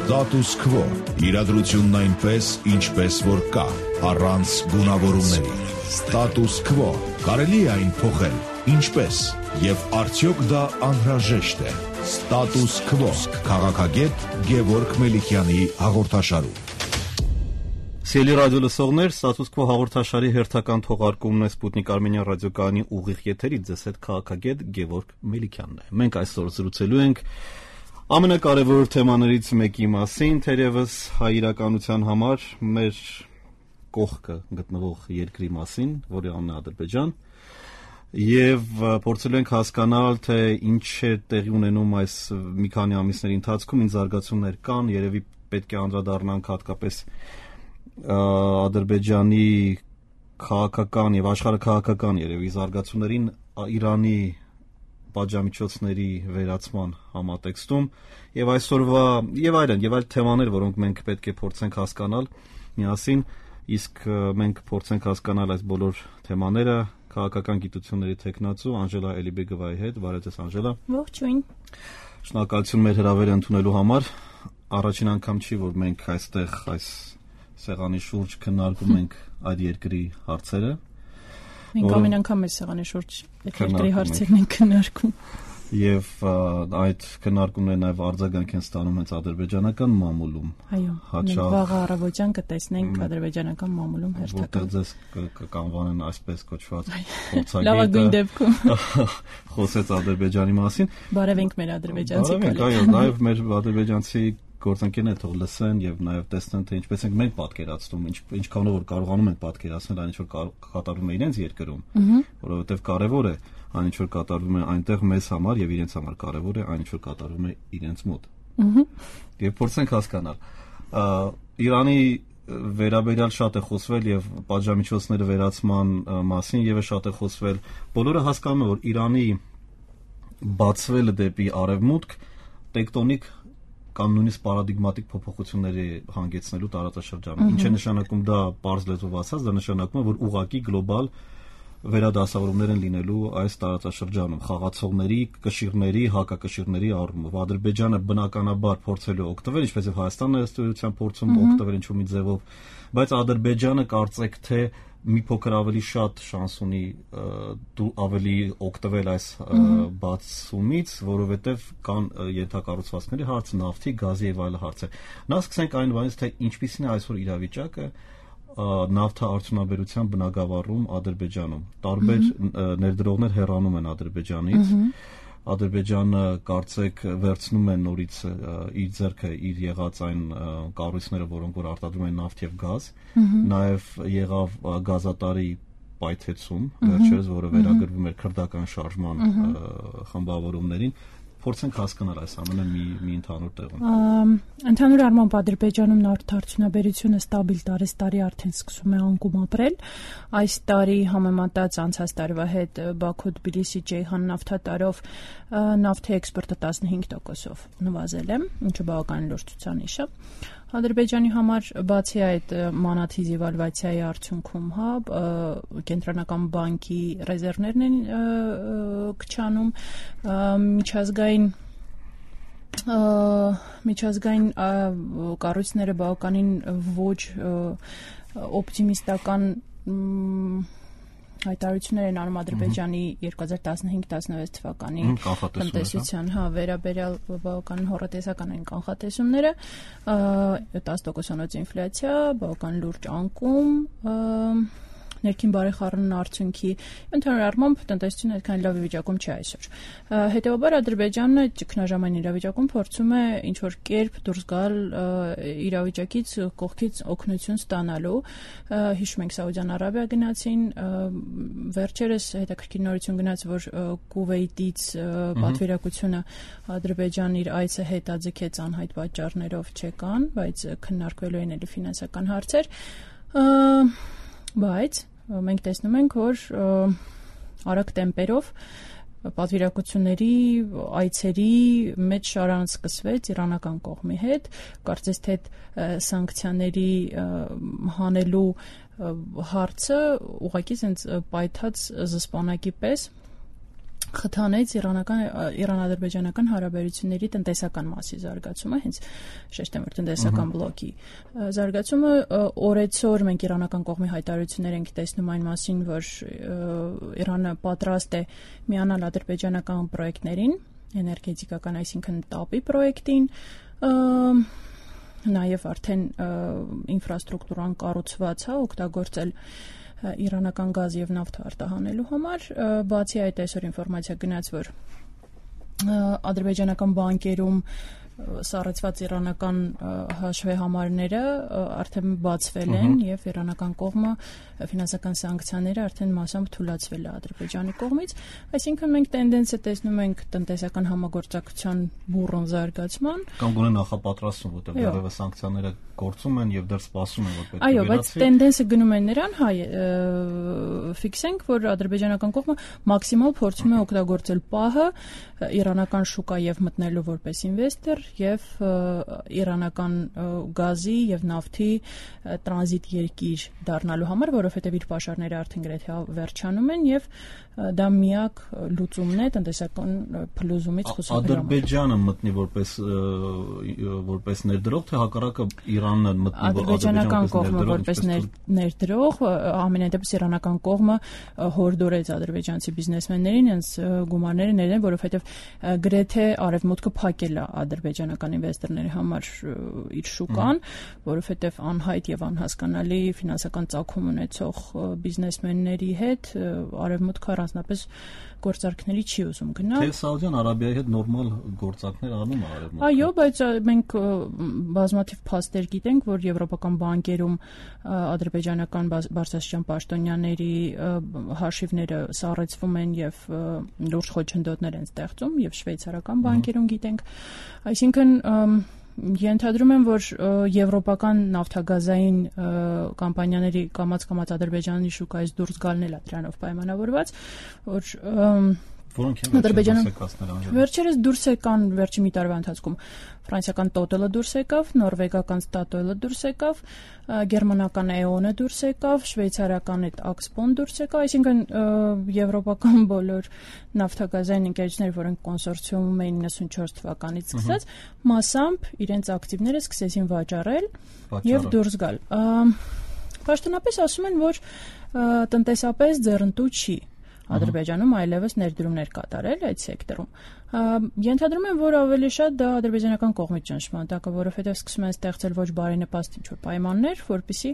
Status quo. Իրադրությունն այնպես, ինչպես որ կա, առանց գունավորումների։ Status quo. Կարելի է այն փոխել, ինչպես, եւ արդյոք դա անհրաժեշտ է։ Status quo. Քաղաքագետ Գևորգ Մելիքյանի հաղորդաշարում։ Սիրելի ռադիո լսողներ, Status quo հաղորդաշարի հերթական թողարկումն է Սպուտնիկ Արմենիան ռադիոկայանի ուղիղ եթերից, ձեզ հետ քաղաքագետ Գևորգ Մելիքյանն է։ Մենք այսօր զրուցելու ենք ամենակարևոր թեմաներից մեկի մասին, թերևս հայ իրականության համար մեր կողքը գտնվող երկրի մասին, որի անունն է Ադրբեջան, եւ փորձելու ենք հասկանալ, թե ինչ է տեղի ունենում այս մի քանի ամիսների ընթացքում, ինչ զարգացումներ կան, երևի պետք է անդրադառնանք հատկապես Ադրբեջանի քաղաքական եւ աշխարհաքաղաքական երևի զարգացումներին Իրանի պատժամիջոցների վերացման համատեքստում եւ այսօրվա եւ այլ թեմաներ, որոնք մենք պետք է փորձենք հասկանալ միասին, իսկ մենք փորձենք հասկանալ այս բոլոր թեմաները քաղաքական գիտությունների տեխնացու Անժելա Էլիբեգովայի հետ։ Բարև ձեզ, Անժելա։ Ողջույն։ Շնորհակալություն մեր հրավերը ընդունելու համար։ Առաջին անգամ չի, որ մենք այստեղ այս սեղանի շուրջ քննարկում ենք այդ երկրի հարցերը։ Մենք ամեն անգամ այս սեղանի շուրջ երկրի հարցերն ենք քննարկում։ Եվ այդ քննարկումները նաև արձագանք են ստանում հենց ադրբեջանական մամուլում։ Այո, մենք վաղ առավոտյան կտեսնենք ադրբեջանական մամուլում հերթական։ Որտեղ ձեզ կանվանեն այսպես կոչված փորձագետը։ Լավագույն դեպքում խոսեց Ադրբեջանի մասին։ Բարևենք մեր ադրբեջանցի կոլեգ։ Այո, նաև մեր ադրբեջանցի գործընկերները թող լսեն եւ նաև տեսնեն, թե ինչպես ենք մենք պատկերացնում, ինչքանով որ կարողանում ենք պատկերացնել այն ինչ որ կատարվում է իրենց երկրում, որովհետեւ կարեւոր է այն ինչ որ կատարվում է այնտեղ մեզ համար եւ իրենց համար կարեւոր է այն ինչ որ կատարվում է իրենց մոտ։ Եվ փորձենք հասկանալ։ Իրանի վերաբերյալ շատ է խոսվել եւ պատժամիջոցները վերացման մասին եւս շատ է խոսվել։ Բոլորը հասկանում են, որ Իրանի բացվելը դեպի արևմուտք տեկտոնիկ կամ նույնիսկ պարադիգմատիկ փոփոխությունների հանգեցնելու տարածաշրջանում։ Ինչ է նշանակում դա պարզ լեզվով ասած, դա նշանակում է, որ ուղղակի գլոբալ վերադասավորումներ են լինելու այս տարածաշրջանում, խաղացողների, կշիռների, հակակշիռների առումով։ Ադրբեջանը բնականաբար փորձելու օգտվել, ինչպես եւ Հայաստանն է ըստ էության փորձում օգտվել ինչ-որ մի ձևով, բայց Ադրբեջանը կարծեք թե մի փոքր ավելի շատ շանս ունի դու ավելի օգտվել այս բացումից, որովհետև կան ենթակառուցվածքների հարց, նավթի, գազի եւ այլ հարցեր։ Նա սկսենք այն բանից, թե ինչպիսին է այսօր իրավիճակը նավթաարդյունաբերության բնագավառում Ադրբեջանում։ Տարբեր ներդրողներ հեռանում են Ադրբեջանից։ Ադրբեջանը կարծեք վերցնում է նորից իր ձեռքը իր եղած այն կառույցները, որոնք որ արտադրում են նավթ եւ գազ, նաեւ եղավ գազատարի պայթեցում վերջերս, որը վերագրվում էր քրդական շարժման խմբավորումներին։ Փորձենք հասկանալ այս ամենը մի ընդհանուր տեղում։ Ընդհանուր առմամբ Ադրբեջանում նավթարդյունաբերությունը ստաբիլ տարի արդեն սկսում է անկում ապրել։ Այս տարի համեմատած անցած տարվա հետ Բաքու-Թբիլիսի-Ջեյհան նավթատարով նավթի էքսպորտը 15%-ով նվազել է, ինչը բավական լուրջ ցուցանիշ է։ Ադրբեջանի համար բացի այդ մանաթի դեվալվացիայի արդյունքում կենտրոնական բանկի ռեզերվներն են քչանում, միջազգային կառույցները բավականին ոչ օպտիմիստական հայտարարություններ են անում Ադրբեջանի 2015-16 թվականի տնտեսության վերաբերյալ բավական հոռետեսական են կանխատեսումները, 10%-ով ինֆլյացիա, բավական լուրջ անկում, ներքին բարեխառնման արդյունքի, ընդհանուր առմամբ տնտեսությունը այդքան լավ վիճակում չի այսօր։ Հետևաբար Ադրբեջանը ճգնաժամային իրավիճակում փորձում է ինչ-որ կերպ դուրս գալ իրավիճակից, կողքից օգնություն ստանալու։ Հիշում ենք Սաուդյան Արաբիա գնացին, վերջերս հետաքրքիր նորություն գնաց, որ Կուվեյտից պատվիրակությունը Ադրբեջան իր այցը հետաձգեց անհայտ պատճառներով չեկան, բայց քննարկվելու են էլի ֆինանսական հարցեր։ Բայց մենք տեսնում ենք, որ արագ տեմպերով պատվիրակությունների այցերի մեծ շարան սկսվեց իրանական կողմի հետ, կարծես թե սանկցիաների հանելու հարցը ուղղակի հենց պայթած զսպանակի պես խթանեց իրանա-ադրբեջանական հարաբերությունների տնտեսական մասի զարգացումը, հենց շեշտեմ որ տնտեսական բլոկի զարգացումը օրեցօր մենք իրանական կողմի հայտարարություններ ենք տեսնում այն մասին, որ Իրանը պատրաստ է միանալ ադրբեջանական պրոյեկտներին, էներգետիկական, այսինքն ՏԱՊ-ի պրոյեկտին, նաև արդեն ինֆրաստրուկտուրան կառուցված է օգտագործել իրանական գազ եւ նավթ արտահանելու համար, բացի այդ այսօր ինֆորմացիա գնաց, որ ադրբեջանական բանկերում սառեցված իրանական հաշվի համարները արդեն բացվել են եւ իրանական կողմը ֆինանսական սանկցիաները արդեն մասամբ թույլատրվել է Ադրբեջանի կողմից, այսինքն մենք տենդենսը տեսնում ենք տնտեսական համագործակցության բուռն զարգացման կամ գոնե նախապատրաստում, որտեղ դեռևս սանկցիաները գործում են եւ դեռ սպասում են որ պետք է այո, բայց տենդենսը գնում է նրան, ֆիքսենք, որ ադրբեջանական կողմը մաքսիմալ փորձում է օգտագործել պահը իրանական շուկա եւ մտնելու որպես ինվեստոր եւ իրանական գազի եւ նավթի տրանզիտ երկիր դառնալու համար, որովհետեւ իր պաշարները արդեն գրեթե վերջանում են եւ դա միակ լուծումն է տնտեսական փլուզումից խուսափելու համար։ Ադրբեջանը մտնի որպես ներդրող, թե հակառակը Իրանն մտնի ադրբեջանական կողմը որպես ներդրող, ամենայն դեպս իրանական կողմը հորդորեց ադրբեջանցի բիզնեսմեններին հենց գումարները ներեն, որովհետեւ գրեթե արևմուտքը փակել է ադրբեջանական ինվեստորների համար իր շուկան, որովհետեւ անհայտ եւ անհասկանալի ֆինանսական ծագում ունեցող բիզնեսմենների հետ արևմուտքը առանձնապես գործարքների չի ուզում գնալ։ Թե Սաուդյան Արաբիայի հետ նորմալ գործարքներ անում է արևմուտքը։ Այո, բայց մենք բազմաթիվ փաստեր գիտենք, որ եվրոպական բանկերում ադրբեջանական բարձրաստիճան պաշտոնյաների հաշիվները սառեցվում են եւ լուրջ խոչընդոտներ են ստեղծում եւ շվեյցարական բանկերում գիտենք, այսինքն ենթադրում եմ, որ եվրոպական նավթագազային կամպանիաների կամաց Ադրբեջանի շուկայից դուրս գալն էլ է դրանով պայմանավորված, որ վերջերս դուրս եկան վերջի մի տարվա ընթացքում ֆրանսիական Total-ը դուրս եկավ, նորվեգական Statoil-ը դուրս եկավ, գերմանական E.ON-ը դուրս եկավ, շվեյցարական Axpo-ն դուրս եկավ, այսինքն եվրոպական բոլոր նավթագազային ընկերությունները, որոնք կոնսորցիումում էին 94 թվականից սկսած, մասամբ իրենց ակտիվները սկսեցին վաճառել եւ դուրս գալ։ Պաշտոնապես ասում են, որ տնտեսապես ձեռնտու չի Ադրբեջանում այլևս ներդրումներ կատարել այդ սեկտորում։ Ենթադրում եմ, որ ավելի շատ դա ադրբեջանական կողմից ճնշման տակ է, որովհետև սկսում են ստեղծել ոչ բարենպաստ ինչ-որ պայմաններ, որպեսզի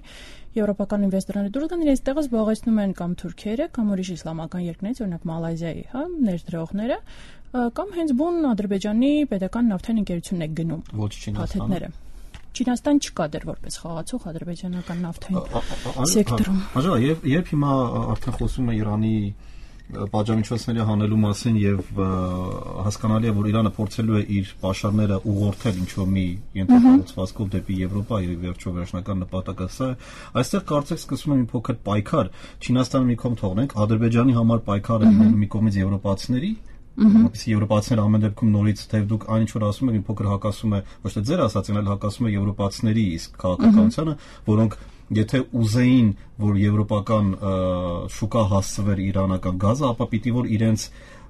եվրոպական ինվեստորները դուրս գան, իրենց տեղը զբաղեցնում են կամ թուրքերը, կամ ուրիշ իսլամական երկրներից, օրինակ Մալայզիայի, ներդրողները, կամ հենց բուն Ադրբեջանի պետական նավթային ընկերությունն է գնում։ Ոչ Չինաստանը։ Չինաստան չկա դեռ որպես խաղացող ադրբեջանական նավթային սեկտորում։ Այո, երբ հիմա արդեն խոսում է Իրանի պատժամիջոցների հանելու մասին եւ հասկանալի է, որ Իրանը փորձելու է իր պաշարները ուղղորդել ինչ-որ մի ենթակառուցվածքով դեպի Եվրոպա եւ վերջո վերջնական նպատակը սա է, այստեղ կարծեք սկսվում է մի փոքր պայքար, Չինաստանը մի կողմ թողնենք, Ադրբեջանի համար պայքարը լինելու մի կողմից եվրոպացիների որպեսզի եվրոպացիները ամեն դեպքում նորից թե դուք այն ինչ որ ասում եք մի փոքր հակասում է ոչ թե ձեր ասածին, այլ հակասում է եվրոպացիների իսկ քաղաքականությանը, որոնք եթե ուզեին, որ եվրոպական շուկա հասցվեր իրանական գազը, ապա պիտի որ իրենց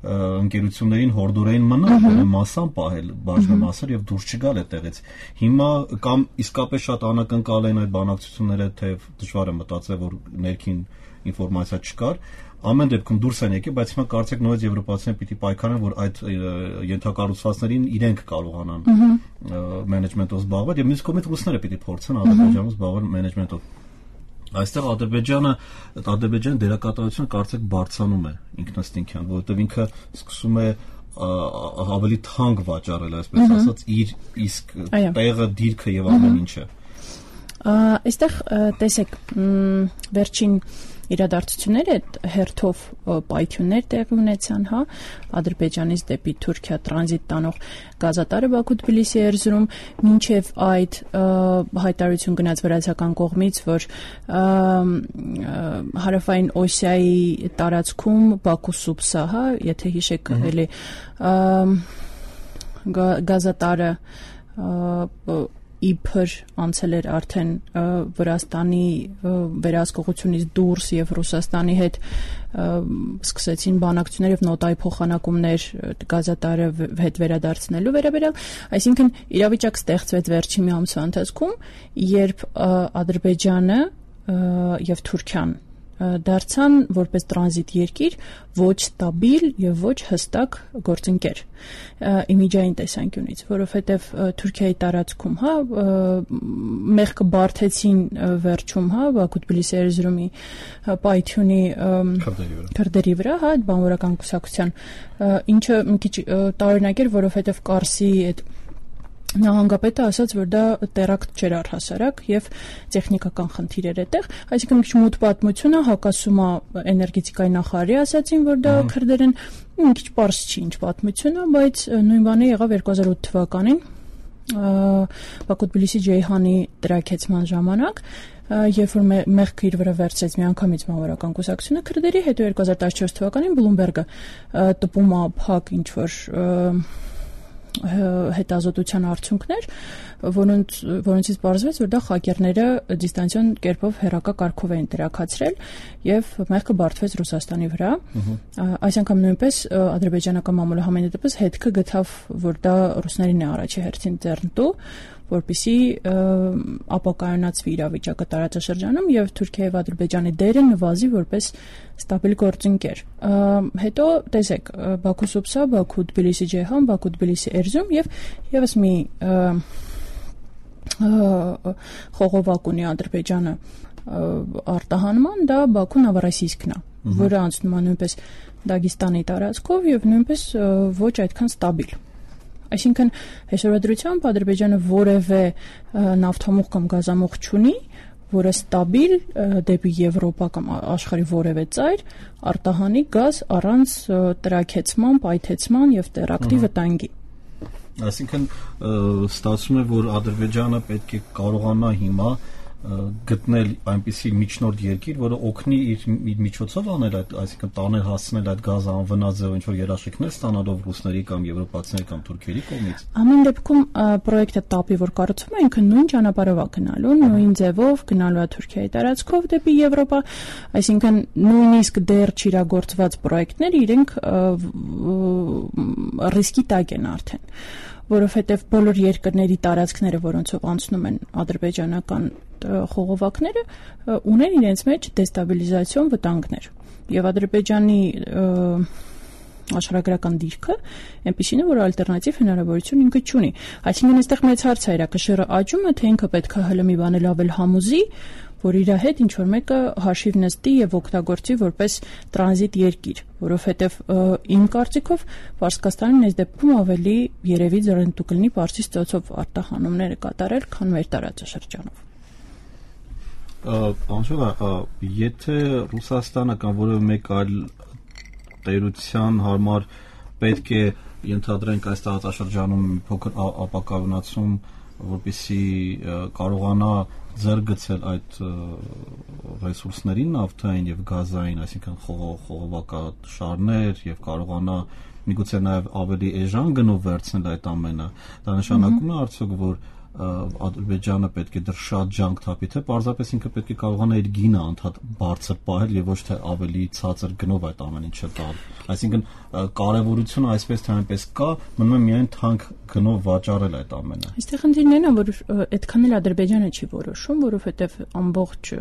ընկերություններին հորդորային մնալ, մասամբ պահել բաժնեմասեր եւ դուրս չգալ այդտեղից։ Հիմա կամ իսկապես շատ անակնկալ են այդ բանակցությունները, թե դժվար է մտածել, որ ներքին ինֆորմացիա չկար, ամեն դեպքում դուրս են եկել, բայց հիմա կարծեք նորից եվրոպացիները պիտի պայքարեն, որ այդ ենթակառուցվածքներին իրենք կարողանան մենեջմենտով զբաղվել եւ մյուս կողմից ռուսները պիտի փորձեն Ադրբեջանում զբաղվել մենեջմենտով։ Այստեղ Ադրբեջանի դերակատարությունը կարծեք բարձրանում է ինքնըստինքյան, որովհետեւ ինքը սկսում է ավելի թանկ վաճառել, այսպես ասած, իր իսկ տեղը, դիրքը եւ ամեն ինչը։ Այստեղ տեսեք, վերջին իրադարձությունները հերթով պայթյուններ տեղի ունեցան, Ադրբեջանից դեպի Թուրքիա տրանզիտ տանող գազատարը Բաքու-Թբիլիսի Էրզրում, մինչև այդ հայտարարություն գնաց վրացական կողմից, որ հարավային Օսիայի տարածքում Բաքու-Սուբսա, եթե հիշեք, էլի գազատարը իբր անցել էր արդեն Վրաստանի վերահսկողությունից դուրս եւ Ռուսաստանի հետ սկսեցին բանակցություններ եւ նոտայի փոխանակումներ գազատարը հետ վերադարձնելու վերաբերյալ, այսինքն իրավիճակ ստեղծվեց վերջին մի ամսվա ընթացքում, երբ Ադրբեջանը եւ Թուրքիան դարձան որպես տրանզիտ երկիր ոչ ստաբիլ եւ ոչ հստակ գործընկեր իմիջային տեսանկյունից, որովհետեւ Թուրքիայի տարածքում, մեղքը բարթեցին վերջում, Բաքու-Թբիլիսի երզրումի պայթյունի քրդերի վրա, այդ բանվորական կուսակցության, ինչը մի քիչ տարօրինակ էր, որովհետեւ Կարսի այդ նահանգապետը ասաց, որ դա տերակտ չէր առհասարակ եւ տեխնիկական խնդիր էր այդտեղ, այսինքն մի քիչ մութ պատմությունը հակասում է էներգետիկայի նախարարի ասացին, որ դա քրդեր են, մի քիչ պարզ չի ինչ պատմությունը, բայց նույն բանը եղավ 2008 թվականին Բաքու-Թբիլիսի Ջեյհանի տրակեցման ժամանակ, երբ որ մեղքը իր վրա վերցրեց միանգամից բանվորական կուսակցությունը քրդերի, հետո 2014 թվականին Բլումբերգը տպում է փակ ինչ որ հետազոտության արդյունքներ, որոնցից պարզվեց, որ դա խակերները դիստանցիոն կերպով հեռակա կարգով էին տրաքացրել եւ մեղքը բարդվեց Ռուսաստանի վրա։ Այս անգամ նույնպես ադրբեջանական մամուլը համենայնդեպս հետքը գտավ, որ դա ռուսներին է առաջի հերթին ձեռնտու, որպեսզի ապակայունացվի իրավիճակը տարածաշրջանում եւ Թուրքիայի եւ Ադրբեջանի դերը նվազի որպես ստաբիլ գործընկեր։ Հետո տեսեք Բաքու-Սուբսա, Բաքու-Թբիլիսի Ջեհան, Բաքու-Թբիլիսի Էրզրում եւ եւս մի խողովակ ունի Ադրբեջանը արտահանման, դա Բաքու-Նովորոսիյսկն է, որը անցնում է նույնպես Դագեստանի տարածքով եւ նույնպես ոչ այդքան ստաբիլ։ Այսինքն այսօրվա դրությամբ Ադրբեջանը որևէ նավթամուղ կամ գազամուղ չունի, որը ստաբիլ դեպի Եվրոպա կամ աշխարհի որևէ ծայր արտահանի գազ առանց տրաքեցման, պայթեցման եւ տերակտի վտանգի։ Այսինքն ստացվում է, որ Ադրբեջանը պետք է կարողանա հիմա գտնել այնպիսի միջնորդ երկիր, որը օգնի իր միջոցով անել այդ, այսինքն տանել հասցնել այդ գազը անվնաս ձևով ինչ-որ երաշխիքներ ստանալով ռուսների կամ եվրոպացիների կամ թուրքերի կողմից։ Ամեն դեպքում պրոյեկտը տապի, որ կառուցվում է, ինքը նույն ճանապարհով է գնալու, նույն ձևով գնալու է Թուրքիայի տարածքով դեպի Եվրոպա, այսինքն նույնիսկ դեռ չիրագործված պրոյեկտները իրենք ռիսկի տակ են արդեն, որովհետև բոլոր երկրների տարածքները, որոնցով անցնում են ադրբեջանական խողովակները, ունեն իրենց մեջ դեստաբիլիզացիոն վտանգներ։ Եվ Ադրբեջանի աշխարհագրական դիրքը այնպիսին է, որ ալտերնատիվ հնարավորություն ինքը չունի։ Այսինքն այստեղ մեծ հարց է, կշիռը աճում է, թե ինքը պետք է հլը մի բան լավ համուզի, որ իր հետ ինչ որ մեկը հաշիվ նստի եւ օգտագործի որպես տրանզիտ երկիր, որովհետեւ իմ կարծիքով Պարսկաստանին այս դեպքում ավելի երևի ձեռնտու կլինի Պարսից ծոցով արտահանումները կատարել, քան մեր տարածաշրջանով։ Անշուշտ, եթե Ռուսաստանը կամ որևէ մեկ այլ տերության համար պետք է ենթադրենք այս տարածաշրջանում փոքր ապակայունացում, որպեսզի կարողանա ձեռք գցել այդ ռեսուրսներին նավթային եւ գազային, այսինքն խողովակաշարներ եւ կարողանա միգուցե նաեւ ավելի էժան գնով վերցնել այդ ամենը, դա նշանակում է արդյոք, որ Ադրբեջանը պետք է դեռ շատ ջանք թափի, թե պարզապես ինքը պետք է կարողանա իր գինը անդադ բարձր պահել եւ ոչ թե ավելի ցածր գնով այդ ամեն ինչը տալ։ Այսինքն կարեւորությունը այսպես թե այնպես կա, մնում է միայն թանկ գնով վաճառել այդ ամենը։ Այստեղ խնդիրն է, որ այդքան էլ Ադրբեջանը չի որոշում, որովհետեւ ամբողջ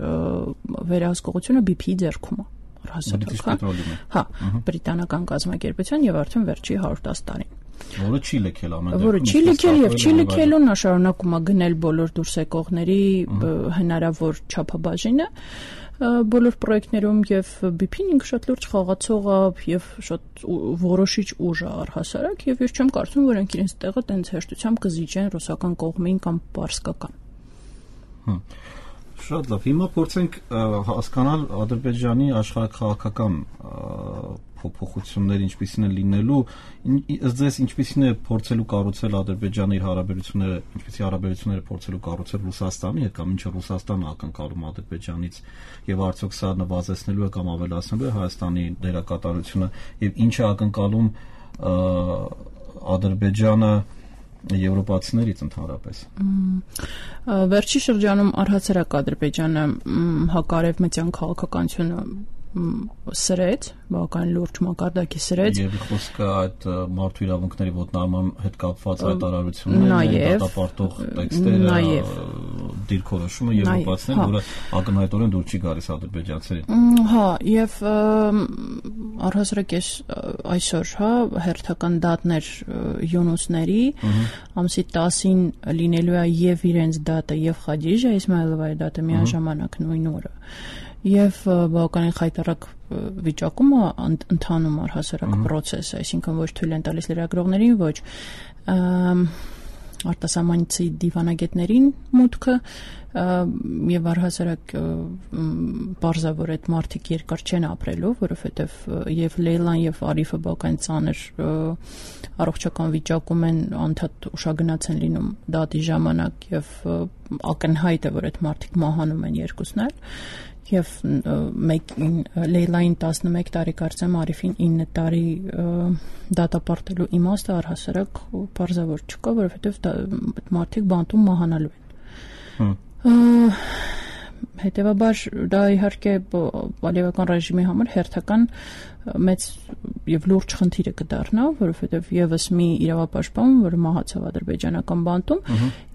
վերահսկողությունը BP-ի ձեռքում է առհասարակ։ Բրիտանական կազմակերպության եւ արդեն վերջի 110 տարին։ Որը չի լքել ամեն դեպքում։ Որը չի լքել եւ չի լքելուն նա շարունակում է գնել բոլոր դուրս եկողների հնարավոր չափաբաժինը բոլոր պրոյեկտներում եւ BP-ն ինքը շատ լուրջ խաղացող է եւ շատ որոշիչ ուժ է առհասարակ եւ ես չեմ կարծում, որ իրենք իրենց տեղը տենց հեշտությամբ կզիջեն ռուսական կողմին կամ պարսկական։ Շատ լավ։ Հիմա փորձենք հասկանալ Ադրբեջանի աշխարհաքաղաքական փոփոխությունները ինչպիսին են լինելու, ըստ ձեզ ինչպիսին է փորձելու կառուցել Ադրբեջանը իր հարաբերությունները, ինչպիսի հարաբերությունները փորձելու կառուցել Ռուսաստանի հետ կամ ինչը Ռուսաստանը ակնկալում Ադրբեջանից եւ արդյոք սա նվազեցնելու է կամ ավելացնելու է Հայաստանի դերակատարությունը եւ ինչ է ակնկալում Ադրբեջանը եվրոպացիներից ընդհանրապես։ Վերջի շրջանում առհասարակ Ադրբեջանը հակարևմտյան քաղաքականությունը սրեց, բավական լուրջ մակարդակի սրեց։ Եվ խոսքը այդ մարդու իրավունքների ոտնահարման հետ կապված հայտարարություններն, դատապարտող տեքստերը, դիրքորոշումը եվրոպացիներին, որը ակնհայտորեն դուր չի գալիս ադրբեջանցիներին։ Հա, եւ առհասարակ այսօր, հերթական դատներ Յունուսների ամսի 10-ին լինելու է եւ իրենց դատը եւ Խադիժա Իսմայելովայի դատը միաժամանակ նույն օրը։ Եվ բավականին խայտառակ վիճակում ընթանում առհասարակ process, այսինքն ոչ թույլ են տալիս լրագրողներին, ոչ արտասահմանցի դիվանագետներին մուտքը եւ առհասարակ բարձրավոր այդ մարդիկ երկար չեն ապրելու, որովհետեւ եւ Լեյլան եւ Արիֆը բավական ծանր առողջական վիճակում են, անդադ ուշագնաց են լինում դատի ժամանակ եւ ակնհայտ է, որ այդ մարդիկ մահանում են երկուսն էլ։ Եվ Լեյլային 11 տարի կարծեմ, Արիֆին 9 տարի դատապարտելու իմաստը առհասարակ բարձրավոր չկա, որովհետև մարդիկ բանտում մահանալու են։ Հետևաբար դա իհարկե Ալիևական ռեժիմի համար հերթական մեծ եւ լուրջ խնդիր է կդառնա, որովհետեւ եւս մի իրավապաշտպան, որը մահացավ ադրբեջանական բանտում,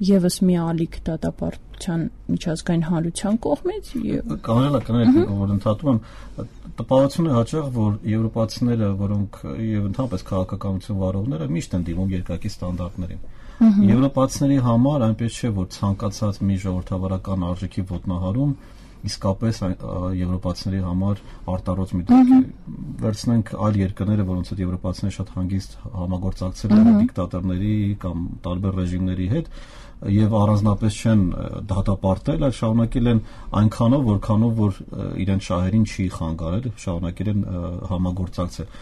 եւս մի ալիք դատապարտության միջազգային հանրության կողմից։ Կանոնական որ ընդհատում եմ, տպավորություն է հաճախ, որ եվրոպացիները, որոնք եւ ընդհանրապես քաղաքականություն վարողները միշտ են դիմում երկակի ստանդարտներին։ Եվրոպացիների համար այնպես չէ, որ ցանկացած մի ժողովրդավարական արժեքի ոտնահարում իսկապես եվրոպացիների համար արտարոց մի դեպք է։ Վերցնենք այլ երկրները, որոնց հետ եվրոպացիները շատ հանգիստ համագործակցել են դիկտատորների կամ տարբեր ռեժիմների հետ եւ առանձնապես չեն դատապարտել, այլ շարունակել են այնքանով, որքանով որ իրենց շահերին չի խանգարել, շարունակել են համագործակցել։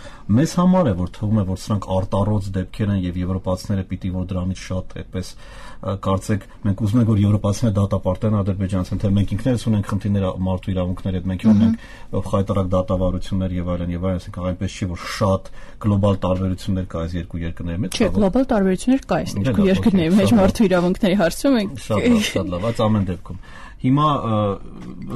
Մեզ համար է, որ թվում է, որ սրանք արտարոց դեպքեր են եւ եվրոպացիները պիտի որ դրանից շատ այդպես կարծեք մենք ուզում ենք որ եվրոպացիները դատապարտեն ադրբեջանցին, թե մենք ինքներս ունենք խնդիրներ մարդու իրավունքների հետ, մենք ունենք խայտարակ դատավարություններ եւ այլն, այսինքն այնպես չի որ շատ գլոբալ տարբերություններ կա այս երկու երկրների մեջ։ Չէ, գլոբալ տարբերություններ կա այս երկու երկրների մեջ մարդու իրավունքների հարցում ենք։ Շատ լավ, այս ամեն դեպքում։ Հիմա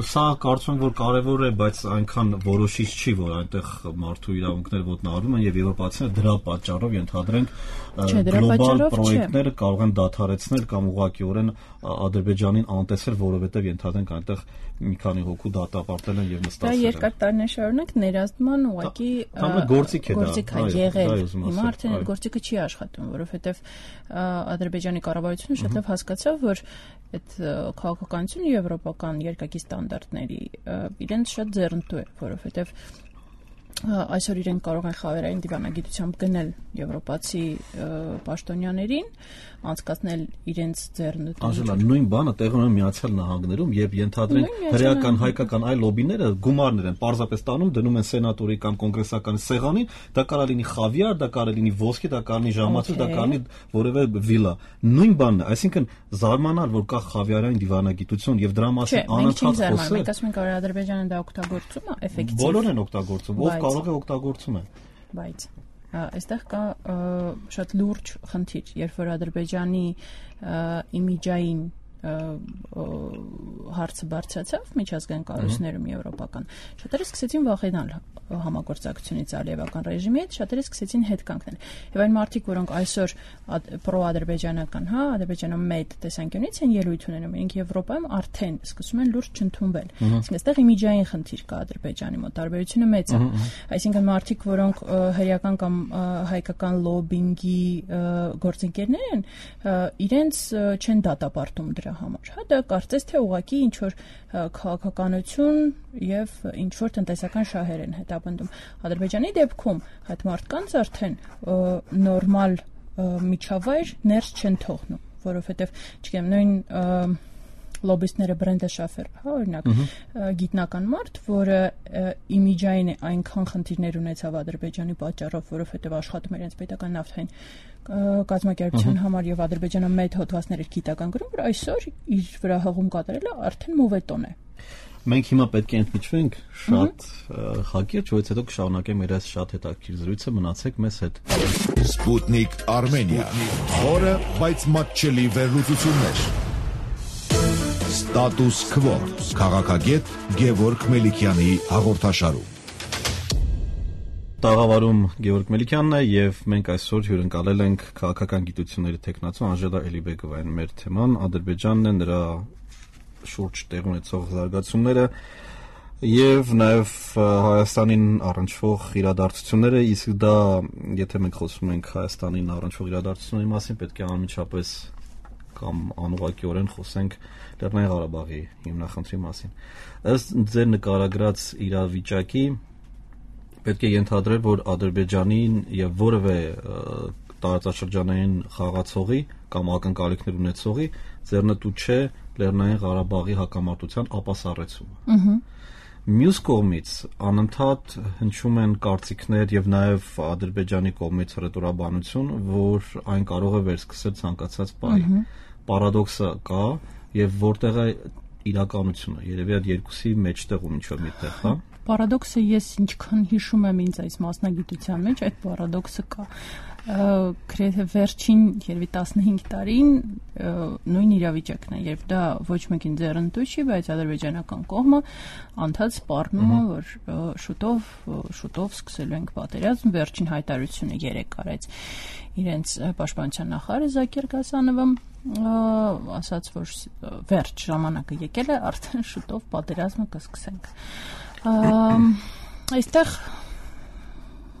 սա կարծում եմ որ կարևոր է, բայց այնքան որոշիչ չի, որ այնտեղ մարդու իրավունքները ոտնահարվում են եւ եվրոպացիները դրա պատճառով ենթադրենք գլոբալ պրոյեկտները կարող են դադարեցնել կամ ուղղակիորեն Ադրբեջանին անտեսել, որովհետեւ ենթադրենք այնտեղ մի քանի հոգու դատապարտել են եւ նստած են։ Դա երկար տարիներ շարունակ ներազդման ուղղակի գործիք է եղել։ Հիմա արդեն այդ գործիքը չի աշխատում, որովհետեւ Ադրբեջանի կառավարությունը շատ լավ հասկացավ, որ այդ քաղաքականությունը եվրոպական երկակի ստանդարտների իրենց շատ ձեռնտու է, որովհետեւ այսօր իրենք կարող են խավերային դիվանագիտությամբ գնել եվրոպացի պաշտոնյաներին, անցկացնել իրենց ձեռնտու։ Անժելա, նույն բանը տեղի ունի Միացյալ Նահանգներում եւ ենթադրենք հրեական հայկական այլ լոբիները գումարներ են պարզապես տանում, դնում են սենատորի կամ կոնգրեսականի սեղանին, դա կարող լինի խավիար, դա կարող լինի ոսկի, դա կարող լինի ժամացույց, դա կարող լինի որևէ վիլա։ Նույն բանն է, այսինքն զարմանալ, որ կա խավիարային դիվանագիտություն եւ դրա մասին անընդհատ խոսել։ Մենք ասում ենք, որ Ադրբեջանը դա օգտագործում է էֆեկտիվ։ Բոլորն են օգտագործում, ով կարող է օգտագործում է։ Բայց այստեղ կա շատ լուրջ խնդիր, երբ որ Ադրբեջանի իմիջային հարցը բարձրացավ միջազգային կառույցներում եվրոպական, շատերը սկսեցին վախենալ համագործակցությունից Ալիևական ռեժիմի հետ, շատերը սկսեցին հետ կանգնել։ Եվ այն մարդիկ, որոնք այսօր պրո-ադրբեջանական, ադրբեջանամետ տեսանկյունից են ելույթ ունենում, իրենք Եվրոպայում արդեն սկսում են լուրջ չընդունվել։ Այսինքն այստեղ իմիջային խնդիր կա Ադրբեջանի մոտ, տարբերությունը մեծ է։ Այսինքն մարդիկ, որոնք հրեական կամ հայկական լոբինգի գործընկերներ են, իրենց չեն դատապարտում դրա համար։ Դա կարծես թե ուղղակի ինչ որ քաղաքականություն եւ ինչ որ տնտեսական շահեր են հետապնդում։ Ադրբեջանի դեպքում այդ մարդկանց արդեն նորմալ միջավայր ներս չեն թողնում, որովհետեւ չգիտեմ նույն լոբիստները Բրենդե Շաֆեր, օրինակ, գիտնական մարդ, որը իմիջային այնքան խնդիրներ ունեցավ Ադրբեջանի պատճառով, որովհետեւ աշխատում էր իրենց պետական նավթային կազմակերպության համար եւ Ադրբեջանը մեծ հոդվածներ էր գիտական գրում, որ այսօր իր վրա հղում կատարելը արդեն մովետոն է։ Մենք հիմա պետք է ընդմիջվենք շատ հակիրճ, որից հետո կշարունակենք մեր այս շատ հետաքրքիր զրույցը, մնացեք մեզ հետ։ Sputnik Armenia, խորը, բայց մատչելի վերլուծություններ։ Status Quo, քաղաքագետ Գևորգ Մելիքյանի հաղորդաշարում։ Տաղավարում Գևորգ Մելիքյանն է եւ մենք այսօր հյուրընկալել ենք քաղաքական գիտությունների տեխնացու Անժելա Էլիբեկովային։ Մեր թեման Ադրբեջանն է, նրա շուրջ տեղ ունեցող զարգացումները եւ նաեւ Հայաստանին առնչվող իրադարձությունները, իսկ դա, եթե մենք խոսում ենք Հայաստանին առնչվող իրադարձությունների մասին, պետք է անմիջապես կամ անուղղակիորեն խոսենք Լեռնային Ղարաբաղի հիմնախնդրի մասին։ Ըստ ձեր նկարագրած իրավիճակի պետք է ենթադրել, որ Ադրբեջանին եւ որևէ տարածաշրջանային խաղացողի կամ ակնկալիքներ ունեցողի ձեռնտու չէ Լեռնային Ղարաբաղի հակամարտության ապասառեցումը։ Մյուս կողմից անընդհատ հնչում են կարծիքներ եւ նաեւ Ադրբեջանի կողմից ռետորաբանություն, որ այն կարող է վերսկսել ցանկացած պահի։ Պարադոքսը կա եւ որտեղ է իրականությունը։ Երևի այդ երկուսի մեջտեղում ինչ-որ միտեղ, հա։ Պարադոքսը ես ինչքան հիշում եմ ինձ այս մասնագիտության մեջ, այդ պարադոքսը կա։ Գրեթե վերջին երևի 15 տարին նույն իրավիճակն է, երբ դա ոչ մեկին ձեռնտու չի, բայց ադրբեջանական կողմը անդադ սպառնում է, որ շուտով սկսելու ենք պատերազմ, վերջին հայտարարությունը երեկ արեց իրենց պաշտպանության նախարարը Զաքիր Գասանովը, ասաց, որ վերջ ժամանակը եկել է, արդեն շուտով պատերազմը կսկսենք։ Այստեղ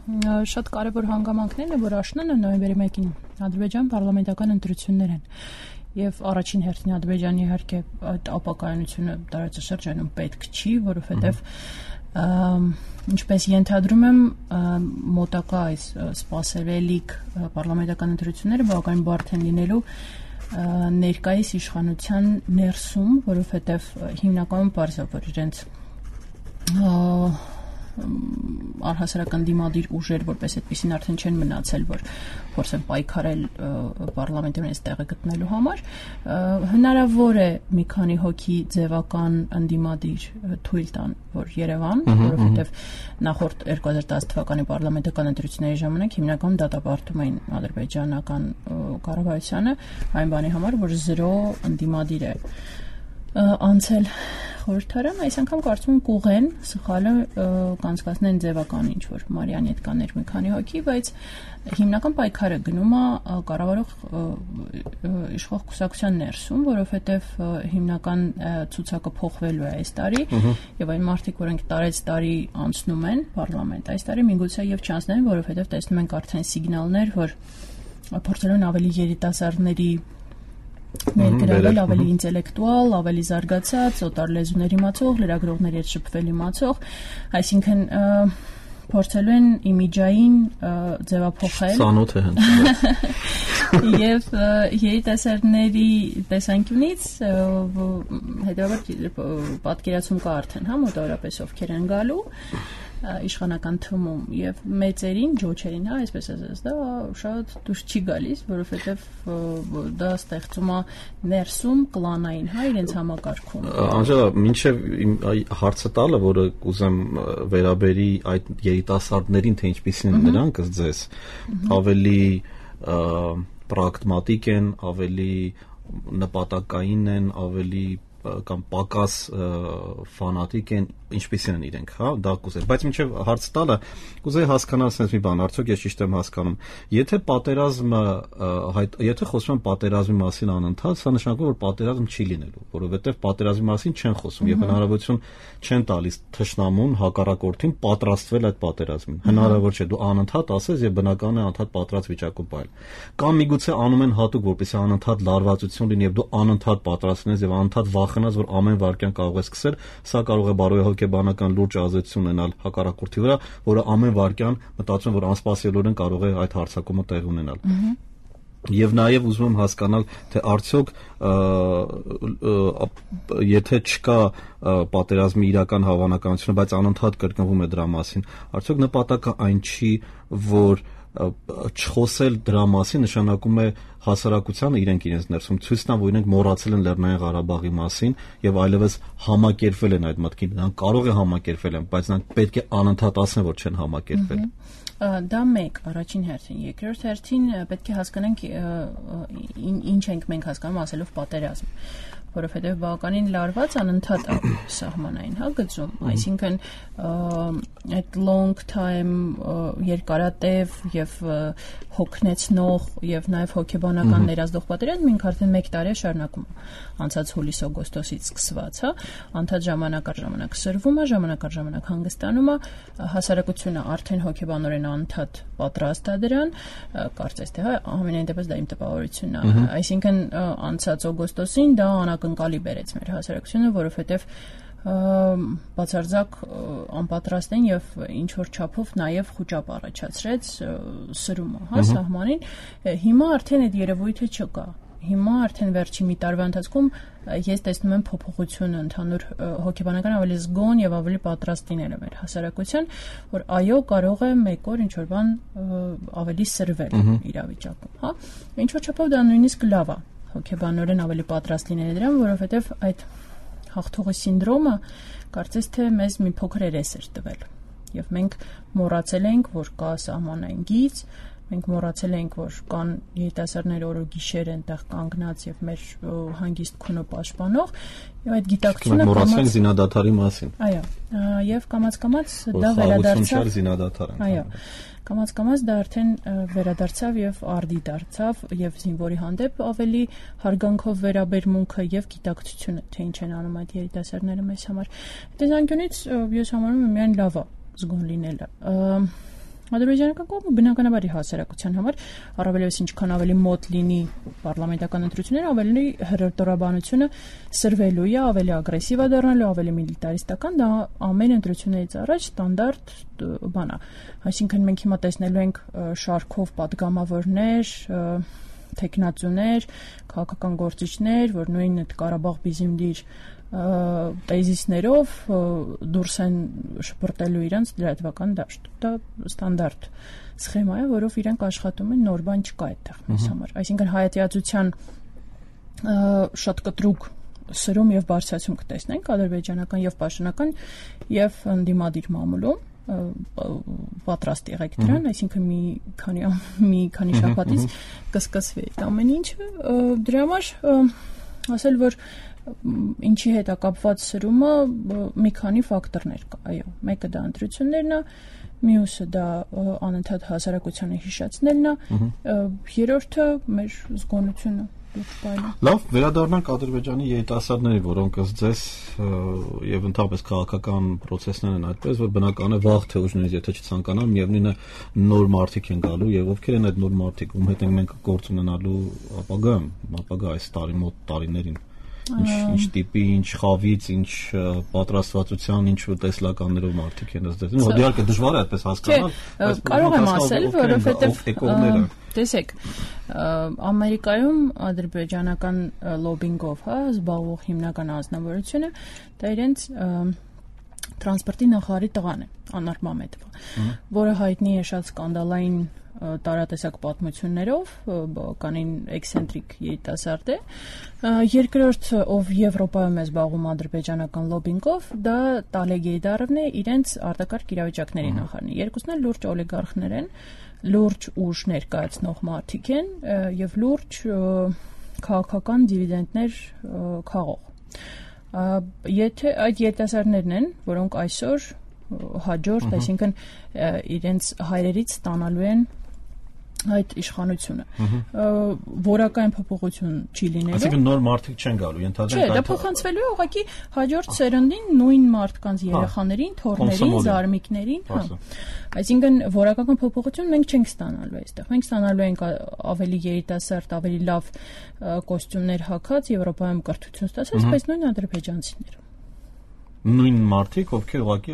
շատ կարևոր հանգամանքներն է, որ աշնանը նոյեմբերի 1-ին Ադրբեջան պարլամենտական ընտրություններ են եւ առաջին հերթին Ադրբեջանի իհարկե այդ ապակայունությունը տարածաշրջանում պետք չի, որովհետեւ ինչպես ենթադրում եմ մոտակա այս սպասելիք պարլամենտական ընտրությունները բավականին բարդ են լինելու ներկայիս իշխանության ներսում, որովհետեւ հիմնականում բարձր է, որ իրենց առհասարական դիմադիր ուժեր, որպես այդպեսին արդեն չեն մնացել, որ փորձեն պայքարել պարլամենտում այս տեղը գտնելու համար, հնարավոր է մի քանի հոգի ձևական ընդդիմադիր թույլ տան, որ Երևան, որովհետև նախորդ 2010 թվականի պարլամենտական ընտրությունների ժամանակ հիմնականում դատապարտում էին ադրբեջանական կառավարությանը այն բանի համար, որ 0 ընդդիմադիր է անցել խորհրդարան, այս անգամ կարծում եմ կուղեն սխալը կանցկացնեն ձևական ինչ-որ Մարիանի հետ կաներ մի քանի հոգի, բայց հիմնական պայքարը գնում է կառավարող իշխող կուսակցության ներսում, որովհետև հիմնական ցուցակը փոխվելու է այս տարի եւ այն մարդիկ, որոնք տարի անցնում են պարլամենտ, այս տարի միգուցե եւ չանցնեն, որովհետև տեսնում ենք արդեն սիգնալներ, որ փորձելու են ավելի երիտասարդների ներգրավել, ավելի ինտելեկտուալ, ավելի զարգացած, օտար լեզուներ իմացող, լրագրողների հետ շփվել իմացող, այսինքն փորձելու են իմիջային ձևափոխել։ Սանոթ է հենց։ Եվ երիտասարդների տեսանկյունից հետևաբար պատկերացում կա արդեն, հա, մոտավորապես ովքեր են գալու իշխանական թմում եւ մեծերին, ջոչերին, հա, այսպես ասած, դա շատ դուրս չի գալիս, որովհետեւ դա ստեղծում է ներսում կլանային, հա, իրենց համակարգում։ Անժելա, մինչեւ հարցը տալը, որը կուզեմ վերաբերի այդ երիտասարդներին, թե ինչպիսին են նրանք ըստ ձեզ, ավելի պրագմատիկ են, ավելի նպատակային են, ավելի կամ պակաս ֆանատիկ են, ինչպիսին են իրենք, հա, դա կուզել, բայց մինչև հարց տալը կուզեի հասկանալ sense մի բան, արդյոք ես ճիշտ եմ հասկանում, եթե պատերազմը եթե խոսում են պատերազմի մասին անընդհատ, սա նշանակում որ պատերազմ չի լինելու, որովհետև պատերազմի մասին չեն խոսում եւ հնարավորություն չեն տալիս թշնամուն հակառակորդին պատրաստվել այդ պատերազմին, հնարավոր չէ, դու անընդհատ ասես եւ բնական է անընդհատ պատրաստ վիճակում բայել, կամ միգուցե անում են հատուկ, որպեսզի անընդհատ լարվածություն լինի եւ դու անընդհատ պատրաստ լինես եւ անընդհատ վախենաս, որ ամեն վարքյան կարող է սկսել, սա կարող է բարոյահոգեբանական լուրջ ազդեցություն ունենալ հակառակորդի վրա, որը ամեն վարքյան մտածում որ անսպասելիորեն կարող է այդ հարձակումը տեղ ունենալ։ Եվ նաև ուզում եմ հասկանալ, թե արդյոք եթե չկա պատերազմի իրական հավանականությունը, բայց անընդհատ կրկնվում է դրա մասին, արդյոք նպատակը այն չի, որ չխոսել դրա մասին նշանակում է հասարակությանը իրենց ներսում ցույց տան, որ իրենք մոռացել են Լեռնային Ղարաբաղի մասին եւ այլևս համակերպվել են այդ մտքին։ Նրանք կարող է համակերպվել են, բայց նրանք պետք է անընդհատ ասեն, որ չեն համակերպվել։ Դա մեկ առաջին հերթին, երկրորդ հերթին պետք է հասկանանք ինչ ենք մենք հասկանում ասելով պատերազմ, որովհետև բավականին լարված անընդհատ սահմանային գծում, այսինքն այդ long time երկարատև եւ հոգնեցնող եւ նաեւ հոգեբանական ներազդող պատերազմը ինքը արդեն 1 տարի է շարունակում անցած հուլիս-օգոստոսից սկսված, անդադ ժամանակ առ ժամանակ սրվում է, ժամանակ առ ժամանակ հանգստանում է, հասարակությունը արդեն հոգեբանորեն անդադ պատրաստ է դրան, կարծես թե ամենայն դեպս դա իմ տպավորությունն է, այսինքն անցած օգոստոսին դա անակնկալի բերեց մեր հասարակությունը, որովհետև բացարձակ անպատրաստ են եւ ինչ որ չափով նաեւ խոճապ առաջացրեց սրումը, սահմանին։ Հիմա արդեն այդ երևույթը չկա։ Հիմա արդեն վերջի մի տարվա ընթացքում ես տեսնում եմ փոփոխություն ընդհանուր հոգեբանական ավելի զգոն եւ ավելի պատրաստ լինելը մեր հասարակության, որ այո կարող է մեկ օր ինչ որ բան ավելի սրվել իրավիճակում, Ինչ որ չափով դա նույնիսկ լավ է հոգեբանորեն ավելի պատրաստ լինելը դրան, որովհետեւ այդ հաղթողի սինդրոմը կարծես թե մեզ մի փոքր երես էր տվել եւ մենք մոռացել ենք, որ կա սահմանային գիծ, մենք մոռացել ենք, որ կան երիտասարդներ օրը գիշեր այնտեղ կանգնած եւ մեր հանգիստ քունը պաշտպանող եւ այդ գիտակցությունը մոռացել ենք զինադադարի մասին։ Այո, եւ կամաց-կամաց դա վերադարձավ զինադադարը։ Այո, կամաց-կամաց դա արդեն վերադարձավ եւ արդի դարձավ եւ զինվորի հանդեպ ավելի հարգանքով վերաբերմունքը եւ գիտակցությունը, թե ինչ են անում այդ երիտասարդները մեզ համար։ Տեսանկյունից ես համարում եմ միայն լավ է զգոն լինելը։ Ադրբեջանական կողմը բնականաբար հասարակության համար առավելևս ինչքան ավելի մոտ լինի պարլամենտական ընտրությունները, ավելի հրետորաբանությունը սրվելու է, ավելի ագրեսիվ է դառնալու, ավելի միլիտարիստական, դա ամեն ընտրություններից առաջ ստանդարտ բան է։ Այսինքն մենք հիմա տեսնելու ենք շարքով падգամավորներ, տեխնացուներ, քաղաքական գործիչներ, որ նույն այդ Ղարաբաղ բիզիմդիր տեզիսներով դուրս են շպրտելու իրանց լրատվական դաշտ։ Դա ստանդարտ սխեմա է, որով իրենք աշխատում են, նոր բան չկա այդտեղ մեզ համար։ Այսինքն հայատյացության շատ կտրուկ սրում եւ բարձրացում կտեսնենք ադրբեջանական եւ պաշտոնական եւ ընդդիմադիր մամուլում պատրաստ եղեք դրան, այսինքն մի քանի շաբաթից կսկսվի այդ ամեն ինչը։ Դրա համար ասել, որ ինչի հետ է կապված սրումը մի քանի ֆակտորներ կա, այո, մեկը դա ընտրություններն է, մյուսը դա անընդհատ հասարակությանը հիշեցնելն է, երրորդը մեր զգոնությունը։ Լավ, վերադառնանք Ադրբեջանի երիտասարդների, որոնք ըստ ձեզ եւ ընդհանրապես քաղաքական process-ներն են այդպես, որ բնական է վաղ թե ուշ նույնիսկ եթե չցանկանան, միևնույնն է նոր մարդիկ են գալու եւ ովքեր են այդ նոր մարդիկ, ում հետ ենք մենք գործ ունենալու ապագա այս մոտ տարիներին։ Ինչ տիպի, ինչ խավից, ինչ պատրաստվածության, ինչ տեսլականներով մարդիկ են ըստ ձեզ։ Իհարկե դժվար է այդպես հասկանալ, բայց կարող եմ ասել, որովհետեւ տեսեք, Ամերիկայում ադրբեջանական լոբինգով, զբաղվող հիմնական անձնավորությունը դա իրենց տրանսպորտի նախարարի տղան է, Անար Մամեդովը, որը հայտնի է շատ սկանդալային տարատեսակ պատմություններով, բավականին էքսենտրիկ երիտասարդ է։ Երկրորդ, ով Եվրոպայում է զբաղվում ադրբեջանական լոբինգով, դա Տալեգ Էյդարովն է, իրենց արտակարգ իրավիճակների նախարարն է։ Երկուսն էլ լուրջ օլիգարխներ են, լուրջ ուժ ներկայացնող մարդիկ են եւ լուրջ քաղաքական դիվիդենդներ քաղող։ Եթե այդ երիտասարդներն են, որոնք այսօր հաջորդ, այսինքն իրենց հայրերից ստանալու են այդ իշխանությունը, որակային փոփոխություն չի լինելու։ Այսինքն նոր մարդիկ չեն գալու, ենթադրենք այդ։ Չէ, դա փոխանցվելու է ուղղակի հաջորդ սերնդին, նույն մարդկանց երեխաներին, թոռներին, զարմիկներին, Այսինքն որակական փոփոխություն մենք չենք ստանալու այստեղ։ Մենք ստանալու ենք ավելի երիտասարդ, ավելի լավ կոստյումներ հագած, Եվրոպայում կրթություն ստացած, բայց նույն ադրբեջանցիներ։ Նույն մարդիկ, ովքեր ուղղակի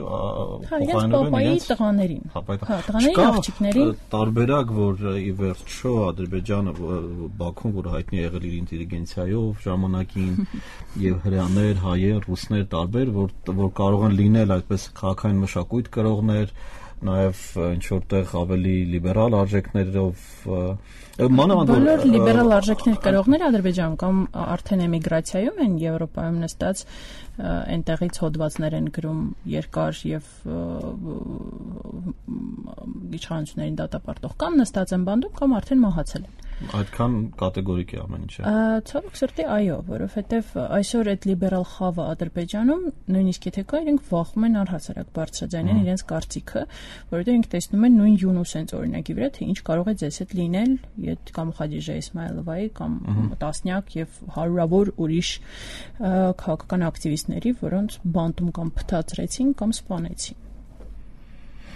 փոխանցվում են իրենց տղաներին, տղաներին, աղջիկներին։ Տարբերակ, որ ի վերջո Ադրբեջանը, Բաքուն, որ հայտնի է եղել իր ինտելիգենցիայով ժամանակին, եւ հրեաներ, հայեր, ռուսներ տարբեր, որ կարող են լինել այդպես քաղաքային մշակույթ կրողներ, նաև ինչ որտեղ ավելի լիբերալ արժեքներով բոլոր լիբերալ արժեքներ կրողները Ադրբեջանում կամ արդեն էմիգրացիայում են Եվրոպայում նստած այնտեղից հոդվածներ են գրում երկար եւ իշխանություններին դատապարտող կամ նստած են բանդում կամ արդեն մահացել են այդքան կատեգորիկ է ամեն ինչը ցավոք սրտի այո որովհետեւ այսօր այդ լիբերալ խավը Ադրբեջանում նույնիսկ եթե կա իրենք վախում են առհասարակ բարձրաձայնել իրենց կարծիքը որովհետեւ իրենք տեսնում են նույն Յունուսենց օրինակի վրա թե ինչ կարող է ձեզ հետ լինել կամ Խադիժե Իսմայելովայի կամ տասնյակ եւ հարյուրավոր ուրիշ քաղաքական ակտիվիստների, որոնց բանտում կամ փթաթրեցին կամ սպանեցին։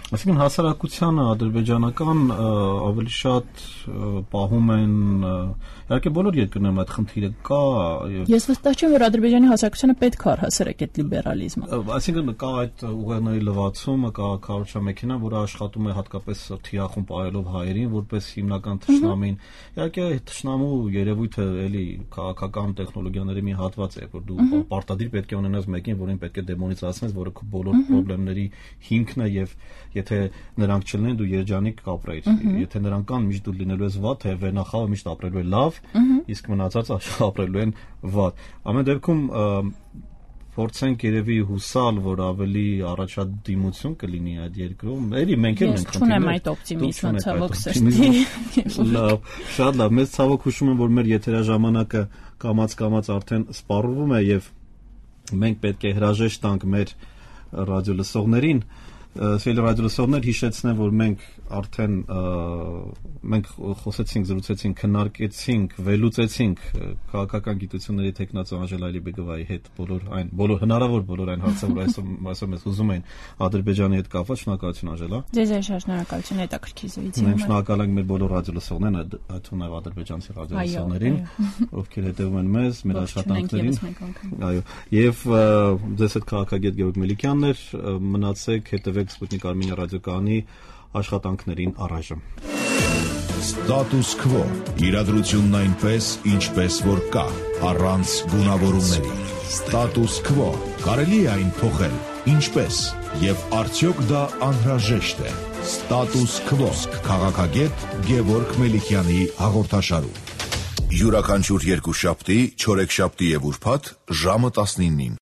Այսինքն հասարակությանը ադրբեջանական ավելի շատ պահում են իհարկե բոլոր երկրներում այդ խնդիրը կա Ես վստահ չեմ որ ադրբեջանի հասարակությանը պետք է առհասարակ այդ լիբերալիզմը Այսինքն կա այդ ուղերձների լվացումը կա քարոզչամեքենա որը աշխատում է հատկապես թիրախում պահելով հայերին որպես հիմնական թշնամին իհարկե թշնամու երևույթը էլի քաղաքական տեխնոլոգիաների մի հատված է որ դու պարտադիր պետք է ունենաս մեկին որին պետք է դեմոնիզացնես որը քո բոլոր խնդիրների հիմքն է եւ Եթե նրանք չլինեն դու երջանիկ կապրեիր, եթե նրանք կան միշտ դու լինելու ես վատ, թե վերնախավը միշտ ապրելու է լավ, իսկ մնացածը ապրելու են վատ։ Ամեն դեպքում փորձենք երևի հուսալ, որ ավելի առաջադիմություն կլինի այդ երկրում։ Էլի մենք էլ ենք խնդիրներ։ Ես չունեմ այդ օպտիմիզմը, ցավոք սրտի։ Լավ, շատ լավ։ Մեզ ցավոք հուշում եմ, որ մեր եթերաժամանակը կամաց արդեն սպառվում է եւ մենք պետք է հրաժեշտ տանք մեր ռադիոլսողներին Սիրելի ռադիոլսողներ հիշեցնեմ, որ մենք արդեն մենք խոսեցինք, զրուցեցինք, քննարկեցինք, վերլուծեցինք քաղաքական գիտությունների տեխնացու Անժելա Ալիբեգովայի հետ բոլոր հնարավոր այն հարցերը, որ այսօր մեզ ուզում են Ադրբեջանի հետ կապված, շնորհակալություն Անժելա։ Ձեզ շնորհակալություն հետաքրքիր զրույցի համար։ Մենք շնորհակալ ենք մեր բոլոր ռադիոլսողներին, այդ թվում ադրբեջանցի ռադիոլսողներին, ովքեր հետևում են մեզ, մեր աշխատանքներին։ Այո, եւ ձեզ հետ քաղաքագետ Գեորգ Մելիքյանն էր, մնացեք հետևեք Sputnik Armenia ռադիոկայանի աշխատանքներին առայժմ։ Status quo. Իրադրությունն այնպես, ինչպես որ կա, առանց գունավորումների։ Status quo. Կարելի է այն փոխել, ինչպես, եւ արդյոք դա անհրաժեշտ է։ Status quo. Քաղաքագետ Գեորգ Մելիքյանի հաղորդաշարում։ Յուրաքանչյուր երկուշաբթի, չորեքշաբթի եւ ուրբաթ ժամը 19-ին։